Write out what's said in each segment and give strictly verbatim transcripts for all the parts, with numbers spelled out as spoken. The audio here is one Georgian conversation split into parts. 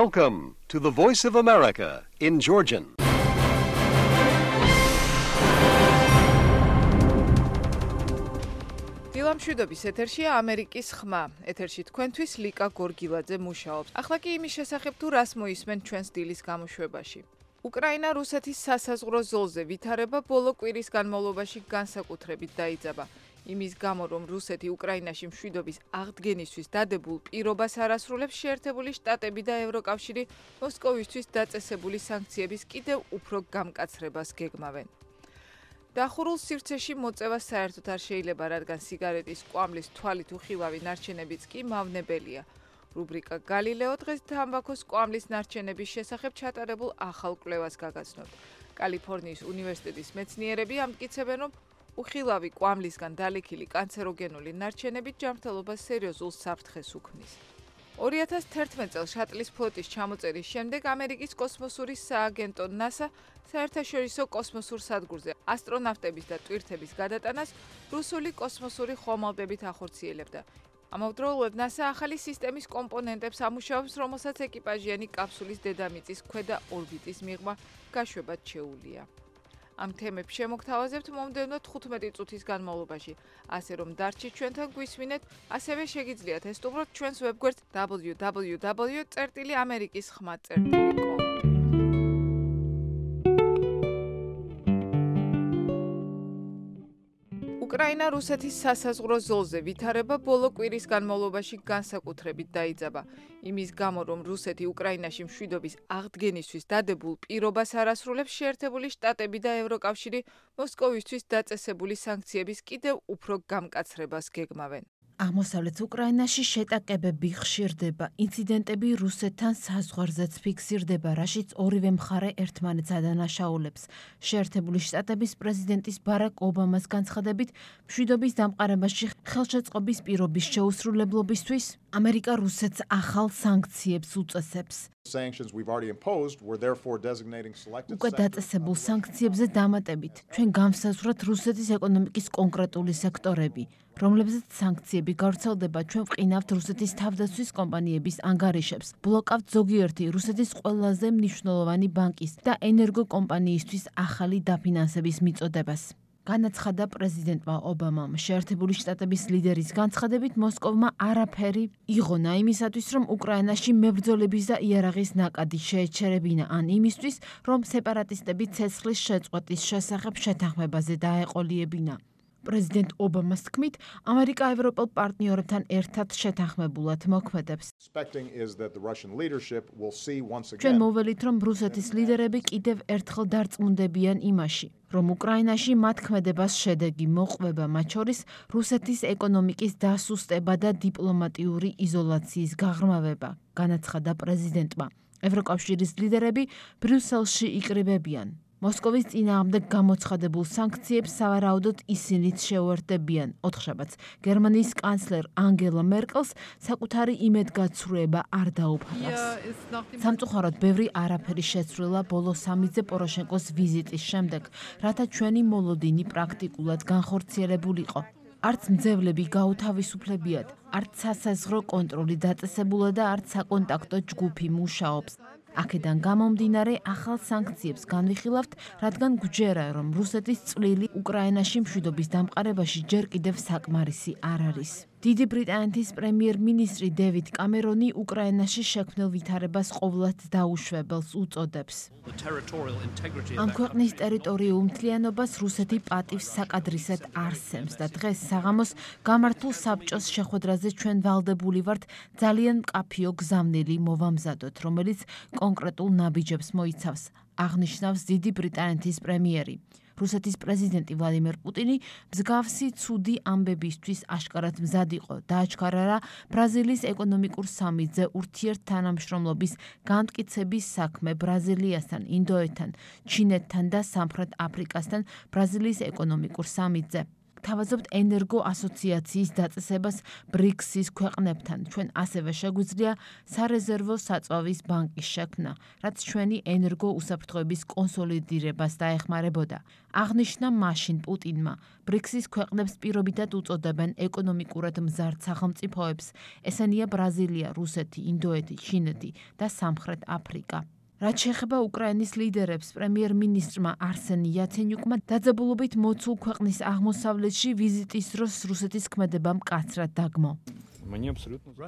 Welcome to the Voice of America in Georgian. დილამშვიდობის ეთერშია ამერიკის ხმა. ეთერში თქვენთვის ლიკა გორგილაძე მუშაობს. ახლა კი იმის შესახებ თუ რას მოისმენ ჩვენს დილის გამოშვებაში. უკრაინა რუსეთის სასაზღვრო ზოლზე ვითარება ბოლო კვირის განმავლობაში განსაკუთრებით დაიძაბა. იმის გამო, რომ რუსეთი უკრაინაში მშვიდობის აღდგენისთვის დადებულ პირობას არასრულებს, შეერთებული შტატები და ევროკავშირი მოსკოვისთვის დაწესებული სანქციების კიდევ უფრო გამკაცრებას გეგმავენ. დახურულ სივრცეში მოწევა საერთოდ არ შეიძლება, რადგან სიგარეტის კვამლის თვალით უხილავი ნარჩენებიც კი მავნებელია. რუბრიკა გალილეო დღეს თამბაქოს კვამლის ნარჩენების შესახებ ჩატარებულ ახალ კვლევას გაგაცნობთ. კალიფორნიის უნივერსიტეტის მეცნიერები ამტკიცებენ, რომ უხილავი კვამლისგან დალექილი კანცეროგენული ნარჩენები ჯანმრთელობას სერიოზულ საფრთხეს უქმნის. ორი ათას თერთმეტ წელს შატლის ფლოტის ჩამოწერის შემდეგ ამერიკის კოსმოსური სააგენტო ნასა საერთაშორისო კოსმოსურ სადგურზე ასტრონავტების და ტვირთების გადატანას რუსული კოსმოსური ხომალდებით ახორციელებდა. ამავდროულად ნასა ახალი სისტემის კომპონენტებს ამუშავებს, რომელსაც ეკიპაჟიანი კაფსულის დედამიწის ქვედა ორბიტის მიღმა გაშვებად შეუძლია. ამ თემებს შემოგთავაზებთ მომდევნო თხუთმეტი წუთის განმავლობაში, ასე რომ დარჩით ჩვენთან გვისმინეთ, ასევე შეგიძლიათ ესტუმროთ ჩვენს ვებგვერდს დაბლიუ დაბლიუ დაბლიუ წერტილი ამერიკის ხმა წერტილი კომ. უკრაინა რუსეთის სასაზღვრო ზოლზე ვითარება ბოლო კვირის განმავლობაში განსაკუთრებით დაიძაბა. იმის გამო, რომ რუსეთი უკრაინაში მშვიდობის აღდგენისთვის დადებულ პირობას არასრულებს, შეერთებული შტატები და ევროკავშირი მოსკოვისთვის დაწესებული სანქციების კიდევ უფრო გამკაცრებას გეგმავენ. აღმოსავლეთ უკრაინაში შეტაკებები ხშირდება, ინციდენტები რუსეთთან საზღვარზეც ფიქსირდება, რაშიც ორივე მხარე ერთმანეთს ადანაშაულებს. შეერთებული შტატების პრეზიდენტის ბარაკ ობამას განცხადებით, მშვიდობის დამყარებაში ხელშეწყობის პირობის შეუსრულებლობისთვის ამერიკა რუსეთს ახალ სანქციებს უწესებს. უკვე დაწესებულ სანქციებზე დამატებით, ჩვენ გავსაზღვროთ რუსეთის ეკონომიკის კონკრეტული სექტორები, რომლებზეც სანქციები გავრცელდება, ჩვენ ვყინავთ რუსეთის თავდაცვის კომპანიების ანგარიშებს, ბლოკავთ ზოგიერთი რუსეთის ყველაზე მნიშვნელოვანი ბანკის და ენერგოკომპანიისთვის ახალი დაფინანსების მიწოდებას. განაცხადა პრეზიდენტმა ობამამ. შეერთებული შტატების ლიდერის განცხადებით, მოსკოვმა არაფერი იღონა იმისათვის, რომ უკრაინაში მებრძოლების და იარაღის ნაკადი შეეჩერებინა, ან იმისთვის, რომ სეპარატისტები ცეცხლის შეწყვეტის შესახებ შეთანხმებაზე დაეყოლიებინა. პრეზიდენტ ობამას თქმით, ამერიკა ევროპელ პარტნიორებთან ერთად შეთანხმებულად მოქმედებს. ჩვენ მოველით, რომ რუსეთის ლიდერები კიდევ ერთხელ დარწმუნდებიან იმაში, რომ უკრაინაში მათ ქმედებას შედეგი მოყვება, მათ შორის რუსეთის ეკონომიკის დასუსტება და დიპლომატიური იზოლაციის გაღრმავება, განაცხადა პრეზიდენტმა. ევროკავშირის ლიდერები ბრიუსელში იკრიბებიან. მოსკოვის წინააღმდეგ გამოცხადებულ სანქციებს სავარაუდოდ ისინიც შეუერთდებიან. ოთხშაბათს გერმანიის კანცლერ ანგელა მერკელს საკუთარი იმედგაცრუება არ დაუფარავს. სამწუხაროდ ბევრი არაფერი შეცვლილა ბოლო სამიძე პოროშენკოს ვიზიტის შემდეგ, რათა ჩვენი მოლოდინი პრაქტიკულად განხორციელებულიყო. არც მძევლები გაუთავისუფლებიათ, არც სასაზღვრო კონტროლი დაწესებულა და არც საკონტაქტო ჯგუფი მუშაობს. აქედან გამომდინარე ახალ სანქციებს განვიხილავთ, რადგან გვჯერა, რომ რუსეთის წვლილი უკრაინაში მშვიდობის დამყარებაში ჯერ კიდევ საკმარისი არ არის. დიდი ბრიტანეთის პრემიერ-მინისტრი დევიდ კამერონი უკრაინაში შექმნილ ვითარებას ყოვლად დაუშვებელს უწოდებს. ამ ქვეყნის ტერიტორიულ მთლიანობას რუსეთი პატივს საკადრისად არსემს და დღეს საღამოს გამართულ საბჭოს შეხვედრაზე ჩვენ ვალდებული ვართ ძალიან მკაფიო გზავნილი მოვამზადოთ, რომელიც კონკრეტულ ნაბიჯებს მოიცავს, აღნიშნავს დიდი ბრიტანეთის პრემიერი. რუსეთის პრეზიდენტი ვლადიმერ პუტინი მსგავსი ცუდი ამბებისთვის აშკარად მზად იყო. დააჩქარა რა ბრაზილიის ეკონომიკურ სამიტზე ურთიერთთანამშრომლობის განმტკიცების საქმე ბრაზილიასთან, ინდოეთთან, ჩინეთთან და სამხრეთ აფრიკასთან ბრაზილიის ეკონომიკურ სამიტზე. გვთავაზობთ ენერგო ასოციაციის დაწესებას ბრიქსის ქვეყნებთან. ჩვენ ასევე შეგვიძლია სარეზერვო საწვავის ბანკის შექმნა, რაც ჩვენი ენერგო უსაფრთხოების კონსოლიდირებას დაეხმარებოდა. აღნიშნა მაშინ პუტინმა ბრიქსის ქვეყნებს პირობითად უწოდებენ ეკონომიკურად მზარდ სახელმწიფოებს. ესენია ბრაზილია, რუსეთი, ინდოეთი, ჩინეთი და სამხრეთ აფრიკა. რაც შეეხება უკრაინის ლიდერებს, პრემიერ-მინისტრმა არსენ იაცენიუკმა დაძაბულობით მოცულ ქვეყნის აღმოსავლეთში ვიზიტის დროს რუსეთის ქმედება მკაცრად დაგმო.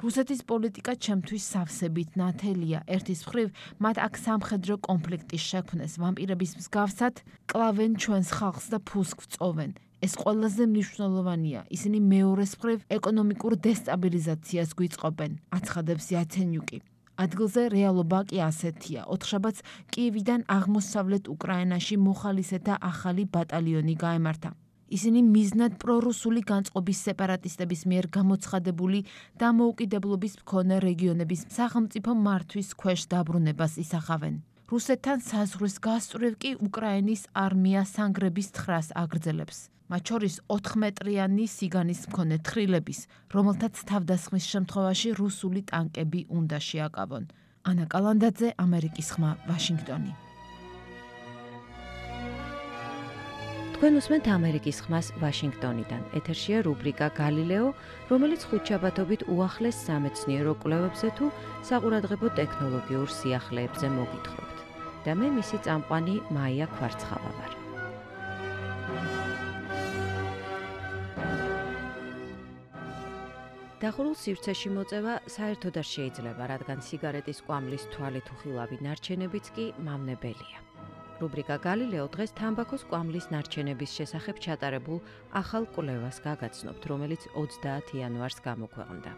რუსეთის პოლიტიკა ჩემთვის სავსებით ნათელია. ერთის მხრივ, მათ აქ სამხედრო კონფლიქტის შექმნეს, ვამპირების მსგავსად კლავენ ჩვენს ხალხს და ფულს გვწოვენ. ეს ყველაზე მნიშვნელოვანია. ისინი მეორეს მხრივ ეკონომიკურ დესტაბილიზაციას გვიწყობენ, აცხადებს იაცენიუკი. ადგილზე რეალობა კი ასეთია. ოთხშაბათს კიევიდან აღმოსავლეთ უკრაინაში მოხალისეთა ახალი ბატალიონი გაემართა. ისინი მიზნად პრორუსული განწყობის სეპარატისტების მიერ გამოცხადებული დამოუკიდებლობის მქონე რეგიონების სახელმწიფო მართვის ქვეშ დაბრუნებას ისახავენ. რუსეთთან საზღვრის გასწვრივ კი უკრაინის არმია სანგრების თხრას აგრძელებს. მათ შორის ოთხმეტრიანი სიგანის მქონე თხრილების, რომელთაც თავდასხმის შემთხვევაში რუსული ტანკები უნდა შეაკავონ. ანა კალანდაძე, ამერიკის ხმა, ვაშინგტონი. თქვენ უსმენთ ამერიკის ხმას ვაშინგტონიდან. ეთერშია რუბრიკა გალილეო, რომელიც ხუთშაბათობით უახლეს სამეცნიერო კვლევებზე თუ საყურადღებო ტექნოლოგიურ სიახლეებზე მოგითხრობთ. და მე მისი წამყვანი მაია ქვარცხავა ვარ. დახურულ სივრცეში მოწევა საერთოდ არ შეიძლება, რადგან სიგარეტის კვამლის თვალით უხილავი ნარჩენებიც კი მავნებელია. რუბრიკა გალილეო დღეს თამბაქოს კვამლის ნარჩენების შესახებ ჩატარებულ ახალ კვლევას გაგაცნობთ, რომელიც ოცდაათი იანვარს გამოქვეყნდა.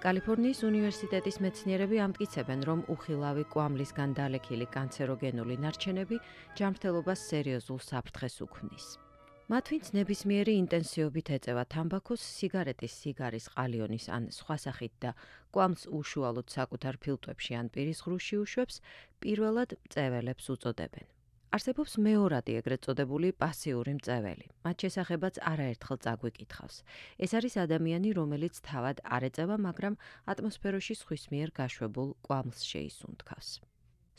კალიფორნიის უნივერსიტეტის მეცნიერები ამტკიცებენ, რომ უხილავი კვამლისგან დალექილი კანცეროგენული ნარჩენები ჯანმრთელობას სერიოზულ საფრთხეს უქმნის. მათ ვინც ნებისმიერი ინტენსივობით ეწევა თამბაქოს, სიგარეტის, სიგარის, ყალიონის ან სხვა სახით და კვამლს უშუალოდ საკუთარ ფილტვებში ან პირის ღრუში უშვებს, პირველად მწეველებს უწოდებენ. არსებობს მეორადი ეგრეთ წოდებული პასიური მწეველი. მათ შესახებაც არაერთხელ წაგვიკითხავს. ეს არის ადამიანი, რომელიც თავად არ ეწევა, მაგრამ ატმოსფეროში სხვის მიერ გაშვებულ კვამლს შეისუნთქავს.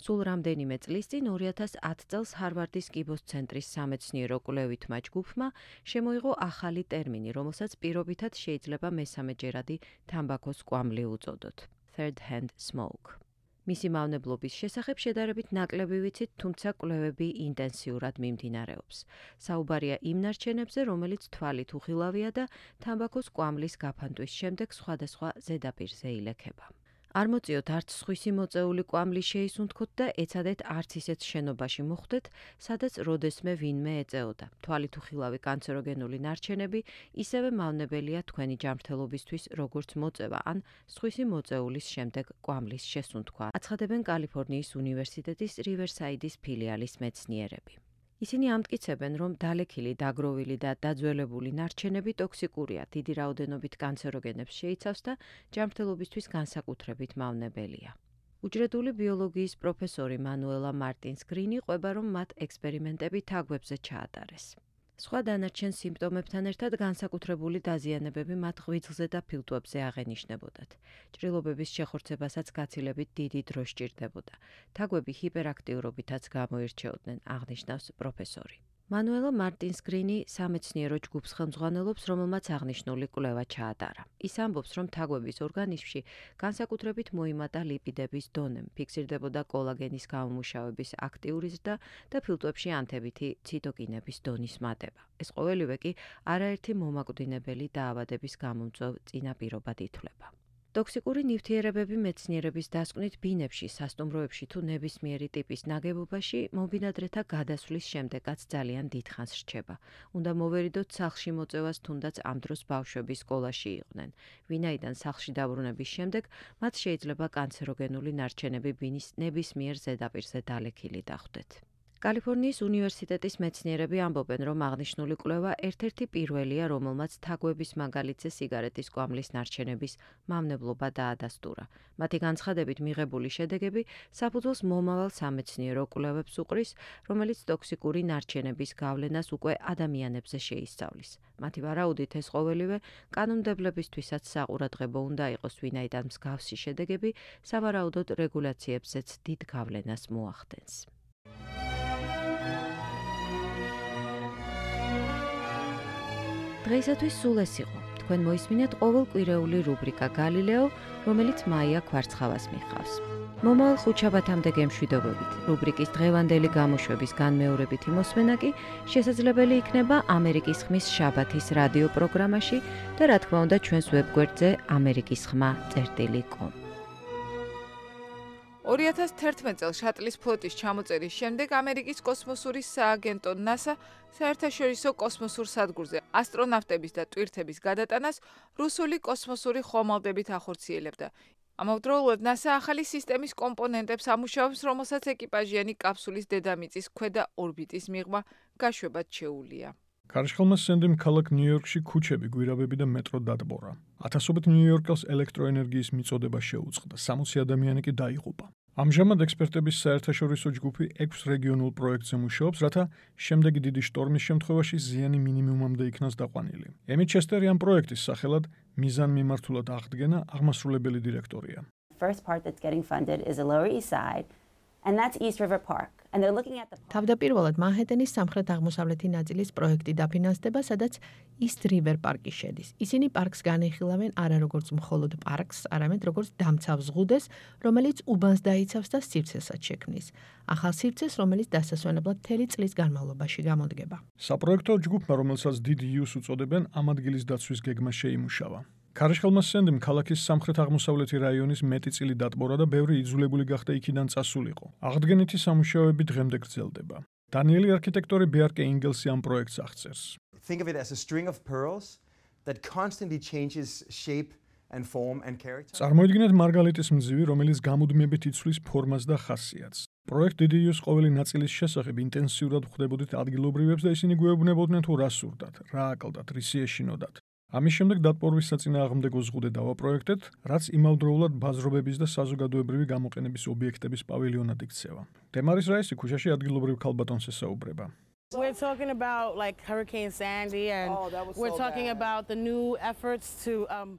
სულ რამდენიმე წლის წინ ორი ათას ათი წელს ჰარვარდის კიბოს ცენტრის სამეცნიერო კვლევითმა ჯგუფმა შემოიღო ახალი ტერმინი, რომელსაც პირობითად შეიძლება მესამეჯერადი თამბაქოს კვამლი უწოდოთ. Third hand smoke. მისი მავნებლობის შესახებ შედარებით ნაკლები ვიცით, თუმცა კვლევები ინტენსიურად მიმდინარეობს. საუბარია იმ ნარჩენებზე, რომელიც თვალით უხილავია და თამბაქოს კვამლის გაფანტვის შემდეგ სხვადასხვა ზედაპირზე ილექება. არ მოწიოთ არც სხვისი მოწეული კვამლი შეისუნთქოთ და ეცადეთ არც ისეთ შენობაში მოხვდეთ, სადაც როდესმე ვინმე ეწეოდა. თვალით უხილავი კანცეროგენული ნარჩენები ისევე მავნებელია თქვენი ჯანმრთელობისთვის, როგორც მოწევა ან სხვისი მოწეულის შემდეგ კვამლის შესუნთქვა, აცხადებენ კალიფორნიის უნივერსიტეტის რივერსაიდის ფილიალის მეცნიერები. ისინი ამტკიცებენ, რომ დალექილი, დაგროვილი და დაძველებული ნარჩენები ტოქსიკურია, დიდი რაოდენობით კანცეროგენებს შეიცავს და ჯანმრთელობისთვის განსაკუთრებით მავნებელია. უჯრედული ბიოლოგიის პროფესორი მანუელა მარტინს გრინი ყვება, რომ მათ ექსპერიმენტები თაგვებზე ჩაატარეს. სხვა დანარჩენ სიმპტომებთან ერთად განსაკუთრებული დაზიანებები მათ ღვიძლზე და ფილტვებზე აღენიშნებოდათ. ჭრილობების შეხორცებასაც გაცილებით დიდი დრო სჭირდებოდა. თაგვები ჰიპერაქტიურობითაც გამოირჩეოდნენ, აღნიშნავს პროფესორი. მანუელა მარტინს გრინი სამეცნიერო ჯგუფს ხელმძღვანელობს, რომელმაც აღნიშნული კვლევა ჩაატარა. ის ამბობს, რომ თაგვების ორგანიზმში განსაკუთრებით მოიმატა ლიპიდების დონემ, ფიქსირდებოდა კოლაგენის გამომუშავების აქტიური ზრდა და ფილტვებში ანთებითი ციტოკინების დონის მატება. ეს ყოველივე კი არაერთი მომაკვდინებელი დაავადების გამომწვევ წინაპირობად ითვლება. ტოქსიკური ნივთიერებები მეცნიერების დასკვნით ბინებში, სასტუმროებში თუ ნებისმიერი ტიპის ნაგებობაში მობინადრეთა გადასვლის შემდეგაც ძალიან დიდხანს რჩება. უნდა მოვერიდოთ სახლში მოწევას, თუნდაც ამ დროს ბავშვები სკოლაში იყვნენ. ვინაიდან სახლში დაბრუნების შემდეგ მათ შეიძლება კანცეროგენული ნარჩენები ბინის ნებისმიერ ზედაპირზე დალექილი დახვდეთ. კალიფორნიის უნივერსიტეტის მეცნიერები ამბობენ, რომ აღნიშნული კვლევა ერთ-ერთი პირველია, რომელმაც თაგვების მაგალითზე სიგარეტის კვამლის ნარჩენების მავნებლობა დაადასტურა. მათი განცხადებით მიღებული შედეგები საფუძველს მომავალ სამეცნიერო კვლევებს უყრის, რომელიც ტოქსიკური ნარჩენების გავლენას უკვე ადამიანებზე შეისწავლის. მათი ვარაუდით ეს ყოველივე კანონმდებლებისთვისაც საყურადღებო უნდა იყოს, ვინაიდან მსგავსი შედეგები სავარაუდოდ რეგულაციებზეც დიდ გავლენას მოახდენს. დღეისათვის სულ ეს იყო. თქვენ მოისმინეთ ყოველკვირეული რუბრიკა გალილეო, რომელიც მაია ქვარცხავას მიხავს. მომავალ ხუთშაბათამდე გემშვიდობებით. რუბრიკის დღევანდელი გამოშვების განმეორებითი მოსმენა კი შესაძლებელი იქნება ამერიკის ხმის შაბათის რადიო პროგრამაში და რა თქმა უნდა ჩვენს ვებგვერდზე ამერიკის ხმა წერტილი კომ. ორი ათას თერთმეტ წელს შატლის ფლოტის ჩამოწერის შემდეგ ამერიკის კოსმოსური სააგენტო ნასა საერთაშორისო კოსმოსურ სადგურზე ასტრონავტების და ტვირთების გადატანას რუსული კოსმოსური ხომალდებით ახორციელებდა. ამავდროულად ნასა ახალი სისტემის კომპონენტებს ამუშავებს, რომელსაც ეკიპაჟიანი კაფსულის დედამიწის ქვედა ორბიტის მიღმა გაშვებად შეუძლია. ქარიშხალმა სენდიმ ქალაქ ნიუ-იორკში ქუჩები, გვირაბები და მეტრო დატბორა. ათასობით ნიუ-იორკელს ელექტროენერგიის მიწოდება შეუწყდა, სამოცი ადამიანი კი დაიღუპა. ამჟამად ექსპერტების საერთაშორისო ჯგუფი ექვს რეგიონულ პროექტზე მუშაობს, რათა შემდეგი დიდი შტორმის შემთხვევაში ზიანი მინიმუმამდე იქნას დაყვანილი. ემი ჩესტერი ამ პროექტის სახელად მიზანმიმართულად აღდგენა აღმასრულებელი დირექტორია. First part that's getting funded is the Lower East Side, and that's East River Park. And they're looking at the თავდაპირველად მანჰეტენის სამხრეთ-აღმოსავლეთი ნაწილის პროექტი დაფინანსდება, სადაც East River პარკი შედის. ისინი პარკს განეხილავენ არა როგორც მხოლოდ პარკს, არამედ როგორც დამცავ ზღუდეს, რომელიც უბანს დაიცავს და სივრცესაც შექმნის. ახალ სივრცეს, რომელიც დასასვენებლად მთელი წლის განმავლობაში გამოდგება. საპროექტო ჯგუფმა, რომელსაც დიდ იუს უწოდებენ, ამ ადგილის დაცვის გეგმა შეიმუშავა. ქარიშხალმა სენდიმ ქალაქის სამხრეთ-აღმოსავლეთი რაიონის მეტი წილი დატბორა და ბევრი იძულებული გახდა იქიდან წასულიყო. აღდგენითი სამუშაოები დღემდე გრძელდება. დანიელი არქიტექტორი ბეარკე ინგელსი ამ პროექტს აღწერს. Think of it as a string of pearls that constantly changes shape and form and character. წარმოიდგინეთ მარგალიტის მძივი, რომელიც გამუდმებით იცვლის ფორმას და ხასიათს. პროექტ დიდი იუს ყოველი ნაწილის შესახებ ინტენსიურად ხვდებოდით ადგილობრივებს და ისინი გვეუბნებოდნენ თუ რა სურდათ, რა აკლდათ, რისი ეშინოდათ. ამის შემდეგ დატბორვის საწინააღმდეგო ზღუდე დავაპროექტეთ, რაც იმავდროულად ბაზრობების და საზოგადოებრივი გამოყენების ობიექტების პავილიონად იქცევა. დემარის რაისი ქუჩაში ადგილობრივ ქალბატონს ესაუბრება. We're talking about like Hurricane Sandy and Oh, that was so we're talking bad. about the new efforts to um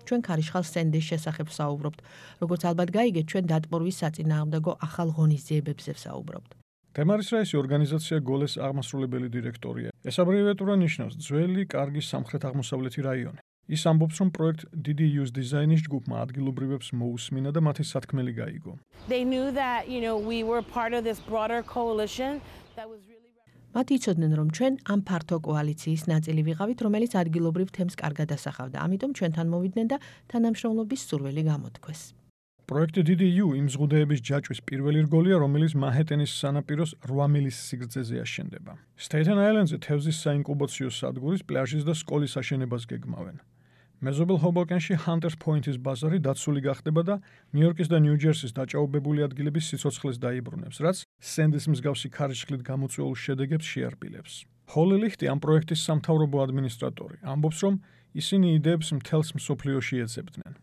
ჩვენ ქარიშხალ სენდის შესახებ საუბრობთ. როგორც ალბათ გაიგეთ, ჩვენ დატბორვის საწინააღმდეგო ახალ ღონისძიებებზე ვსაუბრობთ. დემარის რაისი ორგანიზაცია გოლეს აღმასრულებელი დირექტორია. ეს აბრევიატურა ნიშნავს ძველი, კარგი სამხრეთ-აღმოსავლეთი რაიონი. ის ამბობს, რომ პროექტ დიდი იუს დიზაინის ჯგუფმა ადგილობრივებს მოусმინა და მათი სათქმელი გაიგო. they knew that, you know, we were part of this broader coalition that was really მათ იცოდნენ, რომ ჩვენ ამ ფართო კოალიციის ნაწილი ვიყავით, რომელიც ადგილობრივ თემს კარგად ასახავდა. ამიტომ ჩვენთან მოვიდნენ და თანამშრომლობის სურვილი გამოთქვეს. პროექტი დიდი იუ იმ ზღუდეების ჯაჭვის პირველი რგოლია, რომელიც მანჰეტენის სანაპიროს რვა მილის სიგრძეზე აშენდება. სტეიტენ აილენდზე თევზის საინკუბაციო სადგურის, პლაჟის და სკოლის აშენებას გეგმავენ. მეზობელ ჰობოკენში ჰანტერს პოინტის ბაზარი დაცული გახდება და ნიუ-იორკის და ნიუ-ჯერსის დაჭაობებული ადგილების სიცოცხლეს დაიბრუნებს, რაც სენდის მსგავსი ქარიშხლით გამოწვეულ შედეგებს შეარბილებს. ჰოლი ლიხტი ამ პროექტის სამთავრობო ადმინისტრატორი ამბობს, რომ ისინი იდეებს მთელს მსოფლიოში ეძებდნენ.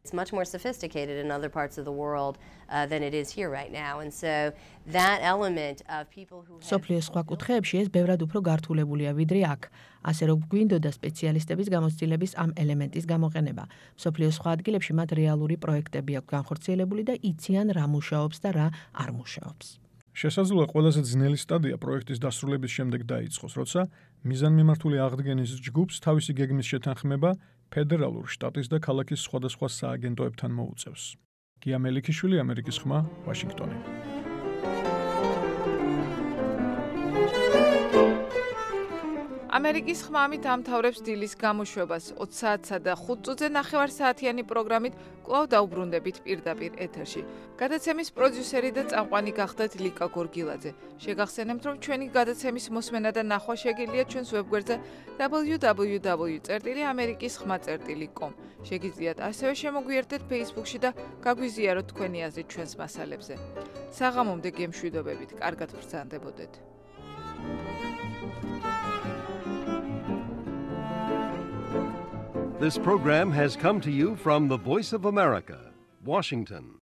It's much more sophisticated in other parts of the world uh, than it is here right now. And so that element of people who have სოფლიოს სხვა კუთხეებში ეს ბევრად უფრო გართულებულია ვიდრე აქ. ასე რომ გვინდოდა სპეციალისტების გამოცდილების ამ ელემენტის გამოყენება. სოფლიოს სხვა ადგილებში მათ რეალური პროექტები აქვს განხორციელებული და იციან რა მუშაობს და რა არ მუშაობს. შესაძლოა ყველაზე ძნელი სტადია პროექტის დასრულების შემდეგ დაიწყოს, როცა მიზანმიმართული აღდგენის ჯგუფს თავისი გეგმის შეთანხმება ფედერალურ, შტატის და ქალაქის სხვადასხვა სააგენტოებთან მოუწევს. გია მელიქიშვილი, ამერიკის ხმა, ვაშინგტონი. ამერიკის ხმა ამით ამთავრებს დილის გამოშვებას. ოცი საათსა და ხუთ წუთზე ნახევარ საათიანი პროგრამით კვლავ დაუბრუნდებით პირდაპირ ეთერში. გადაცემის პროდიუსერი და წამყვანი გახდათ ლიკა გორგილაძე. შეგახსენებთ, რომ ჩვენი გადაცემის მოსმენა და ნახვა შეგიძლიათ ჩვენს ვებგვერდზე დაბლიუ დაბლიუ დაბლიუ წერტილი ამერიკის ხმა წერტილი კომ. შეგიძლიათ ასევე შემოგვიერთდეთ Facebook-ში და გაგვიზიაროთ თქვენი აზრი ჩვენს მასალებზე. საღამომდე გემშვიდობებით, კარგად ბრძანდებოდეთ. This program has come to you from the Voice of America, Washington.